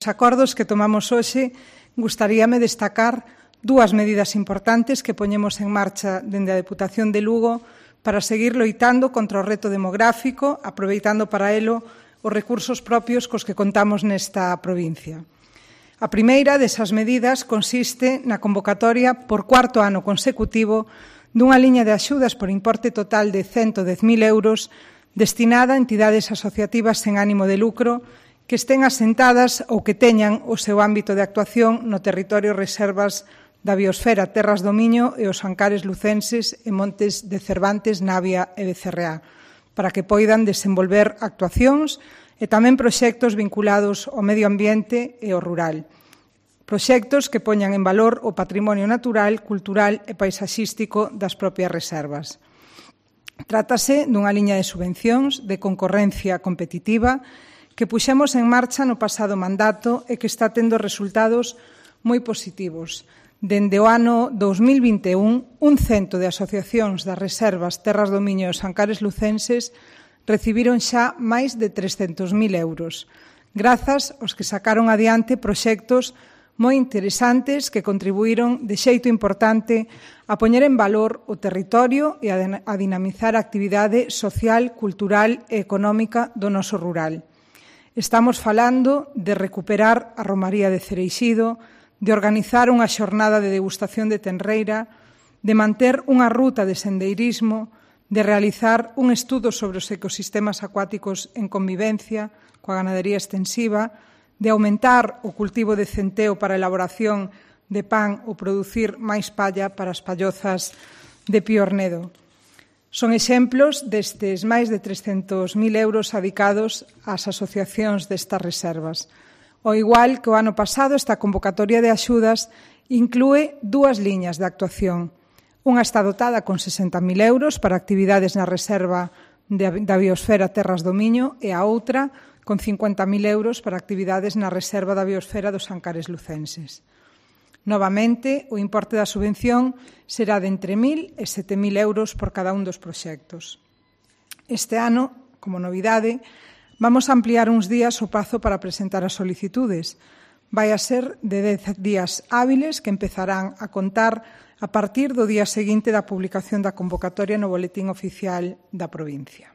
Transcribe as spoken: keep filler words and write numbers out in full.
Os acordos que tomamos hoxe, gustaríame destacar dúas medidas importantes que poñemos en marcha dende a Deputación de Lugo para seguir loitando contra o reto demográfico, aproveitando para elo os recursos propios cos que contamos nesta provincia. A primeira desas medidas consiste na convocatoria por cuarto ano consecutivo dunha liña de axudas por importe total de ciento dez mil euros destinada a entidades asociativas sen ánimo de lucro que estén asentadas ou que teñan o seu ámbito de actuación no territorio reservas da biosfera, terras do Miño e os Ancares lucenses e montes de Cervantes, Navia e Becerreá, para que poidan desenvolver actuacións e tamén proxectos vinculados ao medio ambiente e ao rural. Proxectos que poñan en valor o patrimonio natural, cultural e paisaxístico das propias reservas. Trátase dunha liña de subvencións de concorrencia competitiva que puxemos en marcha no pasado mandato e que está tendo resultados moi positivos. Dende o ano dous mil vinte e un, un cento de asociacións das reservas Terras do Miño e os Ancares lucenses recibiron xa máis de trescentos mil euros, grazas aos que sacaron adiante proxectos moi interesantes que contribuíron de xeito importante a poñer en valor o territorio e a dinamizar a actividade social, cultural e económica do noso rural. Estamos falando de recuperar a Romaría de Cereixido, de organizar unha xornada de degustación de tenreira, de manter unha ruta de sendeirismo, de realizar un estudo sobre os ecosistemas acuáticos en convivencia coa ganadería extensiva, de aumentar o cultivo de centeo para a elaboración de pan ou producir máis palla para as pallozas de Piornedo. Son exemplos destes máis de trescentos mil euros adicados ás asociacións destas reservas. Ao igual que o ano pasado, esta convocatoria de axudas inclúe dúas liñas de actuación. Unha está dotada con sesenta mil euros para actividades na reserva da biosfera Terras do Miño e a outra con cincuenta mil euros para actividades na reserva da biosfera dos Ancares lucenses. Novamente, o importe da subvención será de entre mil e sete mil euros por cada un dos proxectos. Este ano, como novidade, vamos a ampliar uns días o prazo para presentar as solicitudes. Vai a ser de dez días hábiles que empezarán a contar a partir do día seguinte da publicación da convocatoria no Boletín Oficial da provincia.